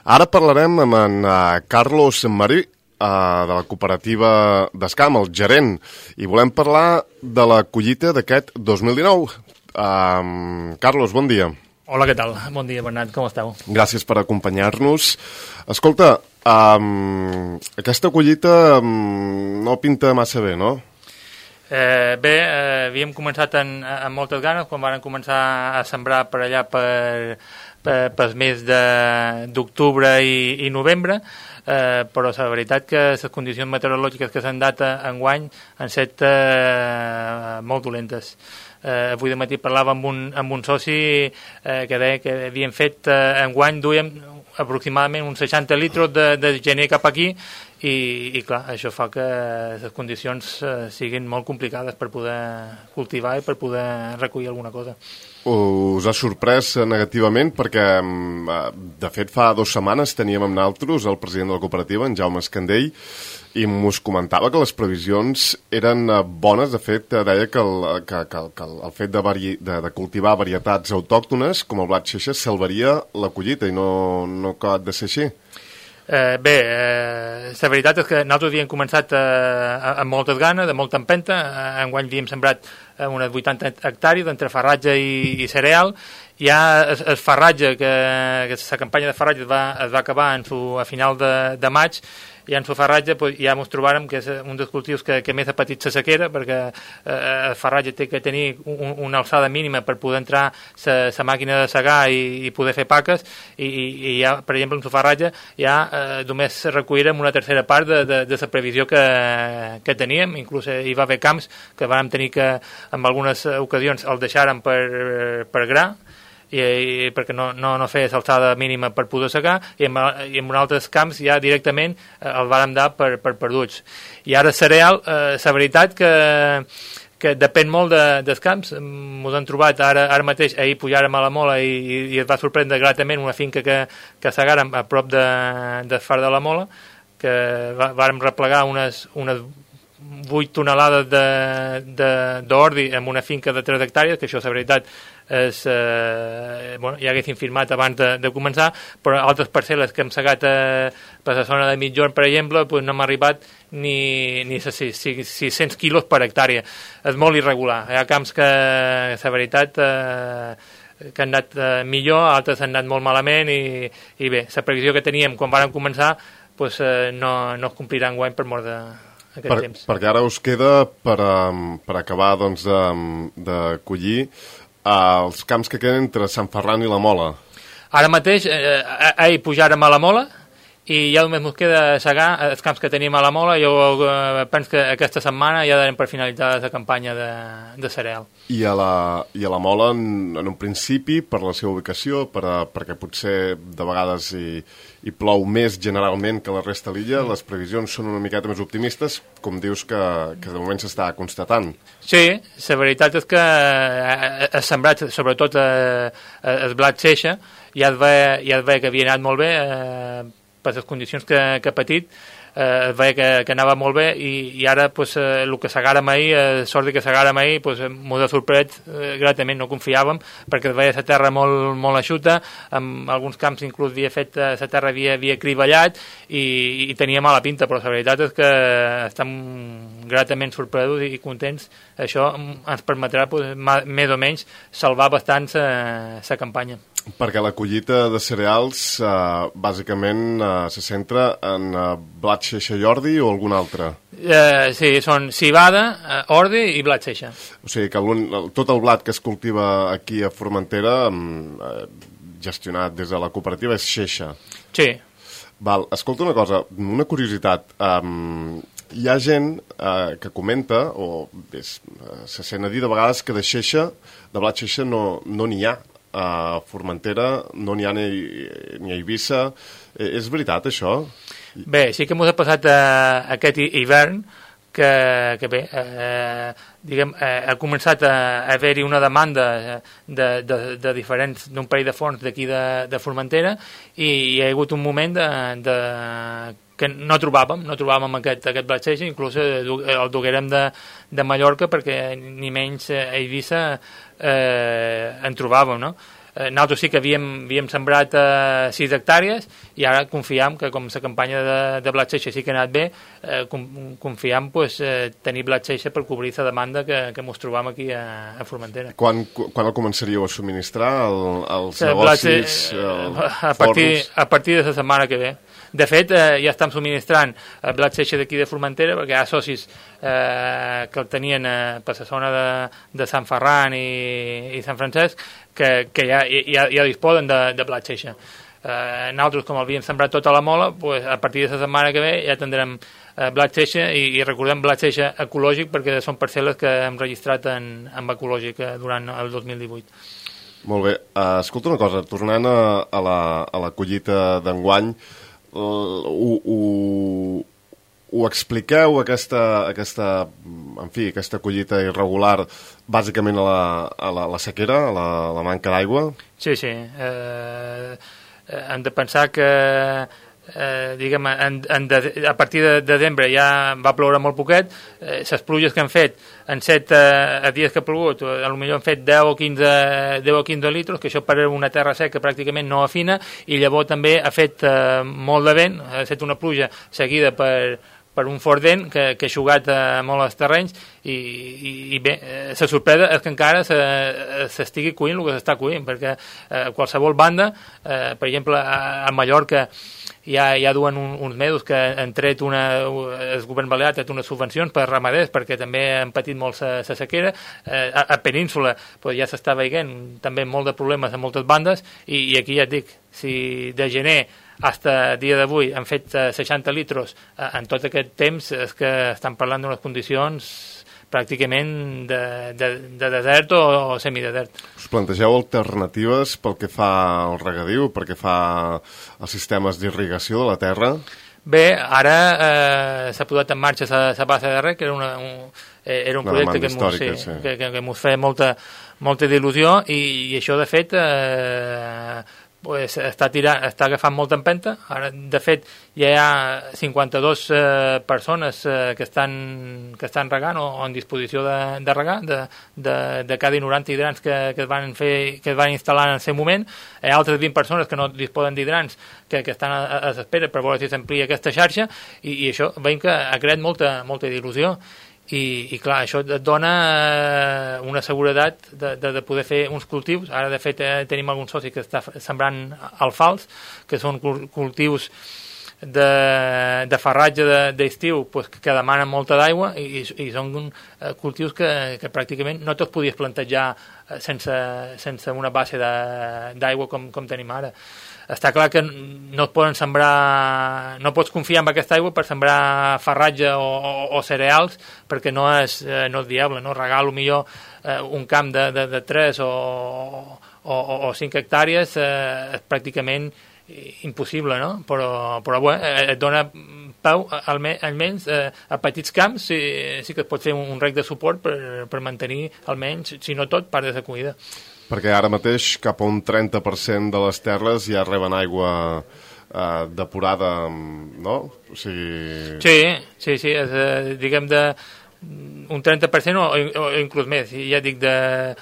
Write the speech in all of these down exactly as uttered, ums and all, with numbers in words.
Ara parlarem amb en uh, Carlos Marí, uh, de la cooperativa d'Escam, el gerent, i volem parlar de la collita d'aquest dos mil dinou. Uh, Carlos, bon dia. Hola, què tal? Bon dia, Bernat, com esteu? Gràcies per acompanyar-nos. Escolta, um, aquesta collita um, no pinta massa bé, no? Eh, bé, eh, havíem començat en, amb moltes ganes quan van començar a sembrar per allà per, per, per mes d'octubre i, i novembre, eh, però la veritat que les condicions meteorològiques que s'han dat enguany han estat eh, molt dolentes. Eh, avui de matí parlava amb un, amb un soci eh, que deia que havien fet eh, enguany, duíem aproximadament uns seixanta litres de, de gener cap aquí i, i clar, això fa que les condicions eh, siguin molt complicades per poder cultivar i per poder recollir alguna cosa. Us ha sorprès negativament perquè, de fet, fa dues setmanes teníem amb nosaltres el president de la cooperativa, en Jaume Escandell, i mos comentava que les previsions eren bones. De fet, deia que el, que, que, que el fet de, vari, de, de cultivar varietats autòctones, com el blat xeixa, salvaria la collita i no, no acabat de ser així. Eh, bé, eh, la veritat és que nosaltres havíem començat eh, amb moltes ganes, de molta empenta. Enguany havíem sembrat eh, unes vuitanta hectàrees entre farratge i, i cereal. Ja el, el farratge, que, que la campanya de farratge es va, es va acabar en su, a final de, de maig, i en el farratge pues, ja ens trobàrem que és un dels cultius que, que més ha patit la sequera, perquè eh, el farratge té que tenir un, una alçada mínima per poder entrar la màquina de segar i, i poder fer paques, i, i, i ja, per exemple, en el farratge ja eh, només recollirem una tercera part de, de, de la previsió que, que teníem. Inclús hi va haver camps que vam tenir que, en algunes ocasions, el deixàrem per, per gra, I, i perquè no, no, no fes alçada mínima per poder secar, i en, i en altres camps ja directament eh, el vàrem dar per, per perduts. I ara cereal, eh, la veritat que, que depèn molt de, dels camps. Ens han trobat ara, ara mateix, ahir pujàrem a la Mola i, i, i es va sorprendre gratament una finca que, que segàrem a prop de, de Far de la Mola, que va, vàrem replegar unes, unes vuit tonelades d'ordi en una finca de tres hectàrees, que això, la veritat, és, eh, bueno, ja haguéssim firmat abans de, de començar, però altres parcel·les que hem segat eh, per la zona de Mitjorn, per exemple, pues no m'ha arribat ni, ni sis-cents quilos per hectàrea. És molt irregular. Hi ha camps que, la veritat, eh, que han anat eh, millor, altres han anat molt malament, i, i bé, la previsió que teníem quan vàrem començar pues, eh, no, no es complirà enguany per mort de aquest per, temps. Perquè ara us queda per, um, per acabar doncs, de, de collir uh, els camps que queden entre Sant Ferran i la Mola. Ara mateix, eh, ahir pujàrem a la Mola i ja només ens queda segar els camps que tenim a la Mola. Jo eh, penso que aquesta setmana ja darem per finalitzar la campanya de, de cereal. I a la, i a la Mola, en, en un principi, per la seva ubicació, per a, perquè potser de vegades hi, hi plou més generalment que la resta de l'illa, mm. les previsions són una miqueta més optimistes, com dius que, que de moment s'està constatant. Sí, la veritat és que ha sembrat, sobretot eh, el blat xeixa, ja es veia, ja es veia que havia anat molt bé, eh, per les condicions que, que ha patit, eh, es veia que, que anava molt bé, i, i ara pues, eh, el que segàrem ahir, eh, sort que segàrem ahir, pues, m'ho ha sorprès eh, gratament, no confiàvem, perquè es veia la terra molt, molt eixuta, en alguns camps inclús havia fet, la terra havia, havia criballat, i, i tenia mala pinta, però la veritat és que estem gratament sorpresos i contents. Això ens permetrà pues, més o menys salvar bastant la campanya. Perquè la collita de cereals eh, bàsicament eh, se centra en eh, blat xeixa i ordi o algun altre? Eh, sí, són civada, eh, ordi i blat xeixa. O sigui que tot el blat que es cultiva aquí a Formentera, eh, gestionat des de la cooperativa, és xeixa. Sí. Val, escolta una cosa, una curiositat. Um, hi ha gent eh, que comenta, o és, eh, se sent a dir de vegades que de xeixa, de blat xeixa no n'hi no ha. A Formentera no n'hi ha ni, ni a Eivissa. Eh, és veritat, això? Bé, sí que m'ho ha passat eh, aquest hivern, que, que bé, eh, diguem, eh, ha començat a haver-hi una demanda de, de, de diferents, d'un parell de forns d'aquí de, de Formentera, i hi ha hagut un moment de, de que no trobàvem, no trobàvem aquest, aquest blat xeixa, inclús el duguérem de, de Mallorca, perquè ni menys a Eivissa eh, en trobàvem, no? Eh, nosaltres sí que havíem, havíem sembrat eh, sis hectàrees i ara confiem que com la campanya de, de blat seixa sí que ha anat bé, eh, confiem pues, eh, tenir blat seixa per cobrir la demanda que, que ens trobam aquí a, a Formentera. Quan, quan el començaríeu a subministrar el, els el negocis, blat, eh, el a, partir, forns? a partir de la setmana que ve. De fet, eh, ja estem subministrant el blat seixa d'aquí de Formentera perquè hi ha socis eh, que el tenien eh, per la zona de, de Sant Ferran i, i Sant Francesc que, que ja, ja, ja disposen de, de blat seixa. Eh, nosaltres, com el havíem sembrat tota la mola, pues, a partir de la setmana que ve ja tindrem eh, blat seixa i, i recordem blat seixa ecològic perquè són parcel·les que hem registrat en, en ecològic eh, durant el dos mil divuit. Molt bé. Uh, escolta una cosa, tornant a, a, la, a la collita d'enguany, Uh, ho, ho, ho expliqueu aquesta, aquesta, en fi, aquesta collita irregular bàsicament a la, a la, la sequera, a la, a la manca d'aigua? Sí, sí. Eh, hem de pensar que eh, diguem, en, en de, a partir de desembre ja va ploure molt poquet, eh, les pluges que han fet en set eh, dies que ha plogut, a lo millor han fet deu o quinze litres, que això per una terra seca pràcticament no afina, i llavors també ha fet eh, molt de vent, ha fet una pluja seguida per, per un fort vent que, que ha eixugat eh, molt els terrenys i, i, i bé, eh, la sorpresa és que encara s'estigui cuint el que s'està cuint, perquè eh, qualsevol banda, eh, per exemple a, a Mallorca ja, ja duen un, uns mesos que han tret una, el govern balear ha tret unes subvencions per ramaders perquè també han patit molt la sequera, eh, a, a Península pues, ja s'està veient també molt de problemes a moltes bandes i, i aquí ja et dic, si de gener fins a dia d'avui han fet uh, seixanta litros uh, en tot aquest temps, és que estan parlant d'unes condicions pràcticament de, de, de desert o, o semidesert. Us plantegeu alternatives pel que fa al regadiu, pel que fa als sistemes d'irrigació de la terra? Bé, ara eh, s'ha posat en marxa la base de rec, que era, una, un, era un una projecte que ens sí, sí. que, que, que feia molta, molta il·lusió i, i això, de fet, eh, pues, està, tirant, està agafant molta empenta. Ara, de fet, ja hi ha cinquanta-dues eh, persones eh, que, estan, que estan regant o, o en disposició de, de regar, de, de, de cada noranta hidrants que, que, es van fer, que es van instal·lar en el seu moment. Hi ha altres vint persones que no disposen d'hidrants que, que estan a, a l'espera per veure si s'amplia aquesta xarxa i, i això veiem que ha creat molta, molta il·lusió. I, i clar, això et dona una seguretat de, de, de poder fer uns cultius. Ara, de fet, eh, tenim algun soci que està sembrant alfals, que són cultius de, de farratge d'estiu de, pues, que demanen molta d'aigua i, i són eh, cultius que, que pràcticament no te'ls podies plantejar sense, sense una base d'aigua com, com tenim ara. Està clar que no et poden sembrar, no pots confiar en aquesta aigua per sembrar farratge o, o, o cereals perquè no és, eh, no és viable, no? Regar millor eh, un camp de, de, de tres o, o, o cinc hectàrees eh, és pràcticament impossible, no? Però, però bueno, et dona peu, almenys eh, a petits camps sí, sí que es pot fer un, un rec de suport per, per mantenir almenys, si no tot, part de la cuida. Perquè ara mateix cap a un trenta per cent de les terres ja reben aigua eh, depurada, no? O sigui... Sí, sí, sí, és, eh, diguem de un trenta per cent o, o inclús més. Ja dic, de,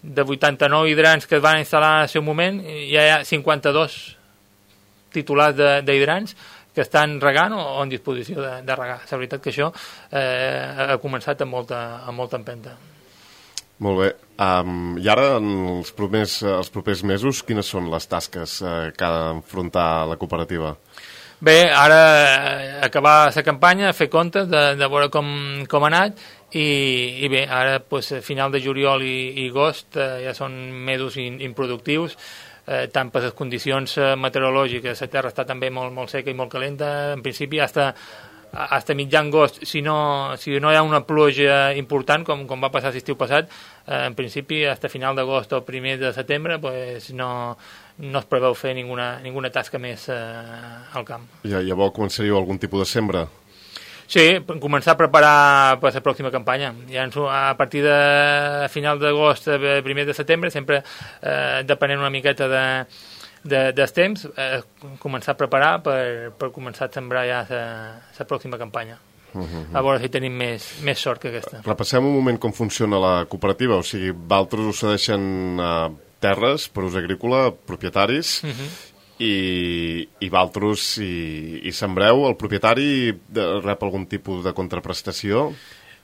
de vuitanta-nou hidrants que es van instal·lar en el seu moment, ja hi ha cinquanta-dos titulars d'hidrants que estan regant o, o en disposició de, de regar. La veritat que això eh, ha començat amb molta, amb molta empenta. Molt bé. Um, I ara, en els propers, els propers mesos, quines són les tasques eh, que ha d'enfrontar la cooperativa? Bé, ara acabar la campanya, fer comptes de, de veure com, com ha anat i, i bé, ara pues, final de juliol i, i agost eh, ja són mesos in, improductius, eh, tant per les condicions meteorològiques, la terra està també molt, molt seca i molt calenta, en principi hasta hasta mitjan agost, si no, si no hi ha una pluja important, com, com va passar l'estiu passat, eh, en principi, hasta final d'agost o primer de setembre, pues no, no es preveu fer ninguna, ninguna tasca més eh, al camp. Ja, llavors començaríeu algun tipus de sembra? Sí, començar a preparar per la pròxima campanya. Ja a partir de final d'agost, primer de setembre, sempre eh, depenent una miqueta de De, dels temps, eh, començar a preparar per, per començar a sembrar ja la pròxima campanya. Uh -huh. A veure si tenim més, més sort que aquesta. Repassem un moment com funciona la cooperativa, o sigui, vosaltres us cedeixen eh, terres per ús agrícola, propietaris, Uh-huh. i, i Valtros i, i sembreu. El propietari de, rep algun tipus de contraprestació?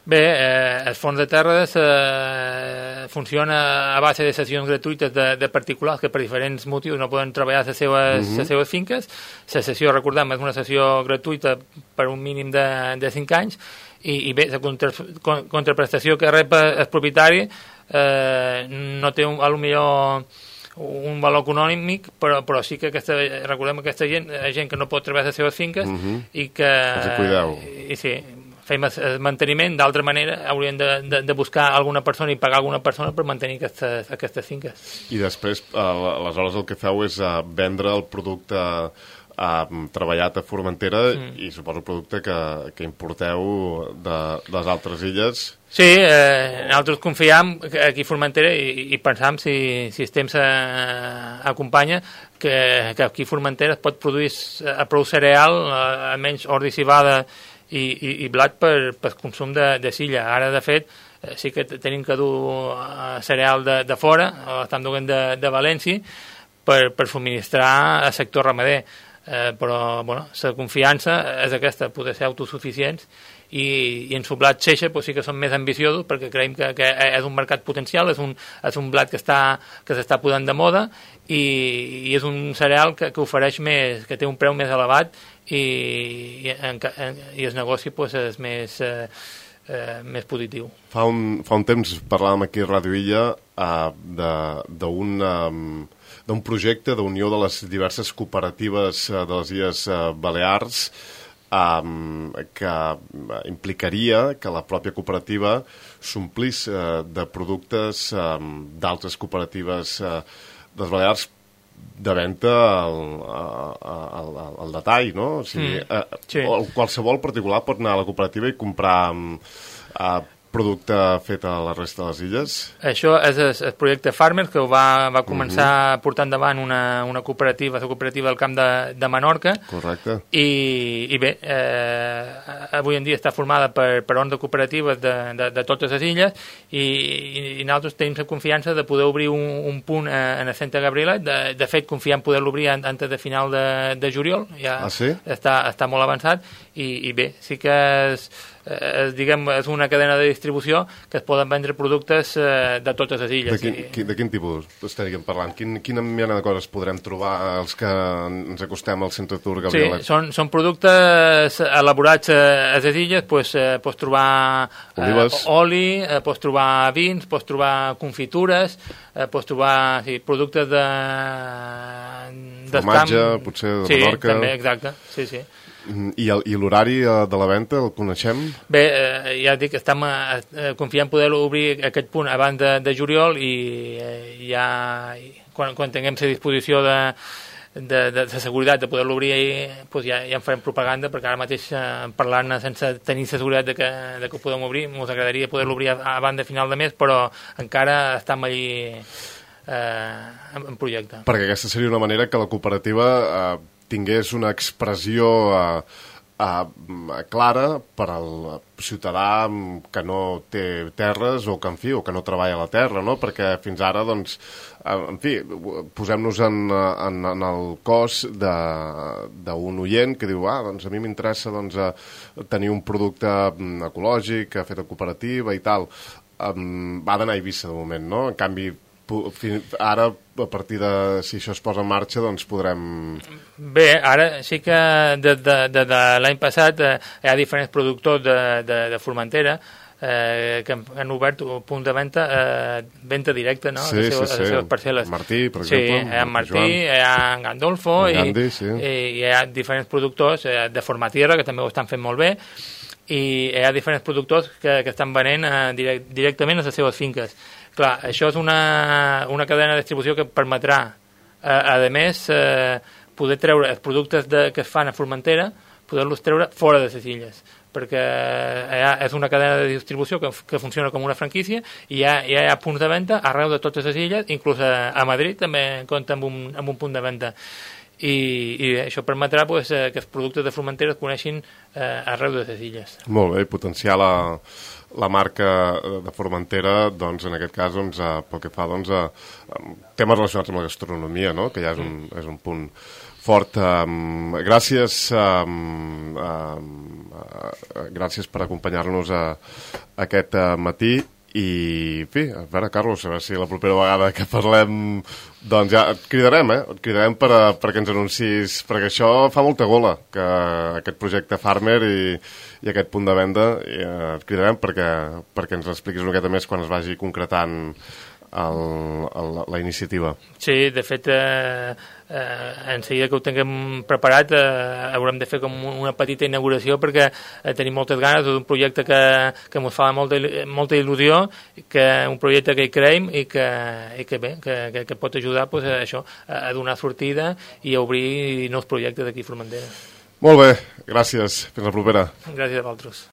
Bé, eh, el fons de terres eh, funciona a base de sessions gratuïtes de, de particulars que per diferents motius no poden treballar a les seves, uh-huh. les seves finques. La sessió, recordem, és una sessió gratuïta per un mínim de, de cinc anys i, i bé, la contra, contraprestació que rep el propietari eh, no té un, a lo millor un valor econòmic, però, però sí que aquesta, recordem que aquesta gent, gent que no pot treballar les seves finques uh-huh. i que... Els cuideu. I, sí, fem el manteniment, d'altra manera haurien de, de, de buscar alguna persona i pagar alguna persona per mantenir aquestes, aquestes finques. I després, eh, aleshores, el que feu és eh, vendre el producte eh, treballat a Formentera mm. i suposo el producte que, que importeu de, de les altres illes. Sí, eh, nosaltres confiem aquí a Formentera i, i pensam, si, si el temps eh, acompanya, que, que aquí a Formentera es pot produir a prou cereal, eh, almenys ordi, civada i, i, i blat per, per consum de, de silla. Ara, de fet, eh, sí que tenim que dur eh, cereal de, de fora, estan duent de, de València, per, per subministrar al sector ramader. Eh, però, bueno, la confiança és aquesta, poder ser autosuficients, i, i en su blat Xeixa pues, sí que som més ambiciosos perquè creiem que, que és un mercat potencial, és un, és un blat que està que s'està posant de moda i, i és un cereal que, que ofereix més, que té un preu més elevat i, i, en, en, i el negoci pues, és més, eh, eh, més positiu. Fa un, fa un temps parlàvem aquí a Ràdio Illa eh, d'un um, d'un projecte d'unió de les diverses cooperatives uh, de les Illes uh, Balears, Um, que implicaria que la pròpia cooperativa s'omplís uh, de productes um, d'altres cooperatives uh, dels Balears de venda al, al, al, al detall, no? O sigui, mm, uh, sí. Qualsevol particular pot anar a la cooperativa i comprar um, uh, producte fet a la resta de les illes? Això és el, el projecte Farmers, que va, va començar uh-huh. a portar endavant una, una cooperativa, la cooperativa del Camp de, de Menorca. Correcte. I, i bé, eh, avui en dia està formada per, per onze cooperatives de, de, de totes les illes i, i, i nosaltres tenim la confiança de poder obrir un, un punt a, a Santa Gabriela. De, de fet, confiem poder-lo obrir antes de final de, de juliol. Ja ah, sí? està, està molt avançat i, i bé, sí que és... Eh, diguem, és una cadena de distribució que es poden vendre productes eh, de totes les illes. De quin, i... de quin tipus estaríem parlant? Quin, quina mena de coses podrem trobar els que ens acostem al Centre Tour Gabriela? Sí, són, són productes elaborats a les illes, pues, eh, pots trobar eh, oli, eh, pots trobar vins, pots trobar confitures, eh, pots trobar sí, productes de... formatge, potser de sí, Menorca. Sí, també, exacte, sí, sí. I, el, i l'horari de la venda el coneixem? Bé, eh, ja dic, estem eh, confiant en poder obrir aquest punt abans de, de juliol i eh, ja quan, quan tinguem la disposició de, de, de, de seguretat de poder-lo obrir pues ja, ja en farem propaganda, perquè ara mateix eh, parlant sense tenir la seguretat de que, de que ho podem obrir, ens agradaria poder-lo obrir abans de final de mes, però encara estem allí eh, en, en projecte. Perquè aquesta seria una manera que la cooperativa eh, tingués una expressió uh, uh, clara per al ciutadà que no té terres o que, en fi, o que no treballa a la terra, no? Perquè fins ara, doncs, uh, en fi, posem-nos en, en, en el cos d'un oient que diu, ah, doncs a mi m'interessa doncs, uh, tenir un producte ecològic, fet a cooperativa i tal. Um, va d'anar a Eivissa, de moment, no? En canvi, ara, a partir de si això es posa en marxa, doncs podrem... Bé, ara sí que des de, de, de l'any passat eh, hi ha diferents productors de, de, de Formentera eh, que han obert un punt de venda, eh, venda directa, no? Sí, a les seves, sí, sí. A les seves parcel·les. Martí, per exemple. Sí, hi ha Martí, hi ha Gandolfo en Gandhi, i, sí. i hi ha diferents productors eh, de Formatierra, que també ho estan fent molt bé, i hi ha diferents productors que, que estan venent eh, direct, directament a les seves finques. Clar, això és una, una cadena de distribució que permetrà, eh, a més, eh, poder treure els productes de, que es fan a Formentera, poder-los treure fora de les illes, perquè ha, és una cadena de distribució que, que funciona com una franquícia i hi ha, hi ha punts de venda arreu de totes les illes, inclús a, a Madrid també compta amb un, amb un punt de venda. i, i això permetrà pues, que els productes de Formentera es coneixin eh, arreu de les illes. Molt bé, potenciar la, la marca de Formentera, doncs, en aquest cas, doncs, eh, pel que fa doncs, a, a temes relacionats amb la gastronomia, no? Que ja és un, és un punt fort. Um, gràcies um, um, uh, gràcies per acompanyar-nos a, a aquest uh, matí. I, en fi, a veure, Carlos, a veure si la propera vegada que parlem, doncs ja et cridarem, eh? Et cridarem per, a, perquè ens anuncis, perquè això fa molta gola, que aquest projecte Farmer i, i aquest punt de venda, i, eh, et cridarem perquè, perquè ens l'expliquis una miqueta més quan es vagi concretant el, el, la iniciativa. Sí, de fet, eh, eh, en seguida que ho tinguem preparat eh, haurem de fer com una petita inauguració perquè eh, tenim moltes ganes d'un projecte que, que ens fa molta, molta il·lusió, que un projecte que hi creiem i que, i que bé, que, que, que pot ajudar pues, a, això, a donar sortida i a obrir nous projectes aquí a Formentera. Molt bé, gràcies. Fins la propera. Gràcies a vosaltres.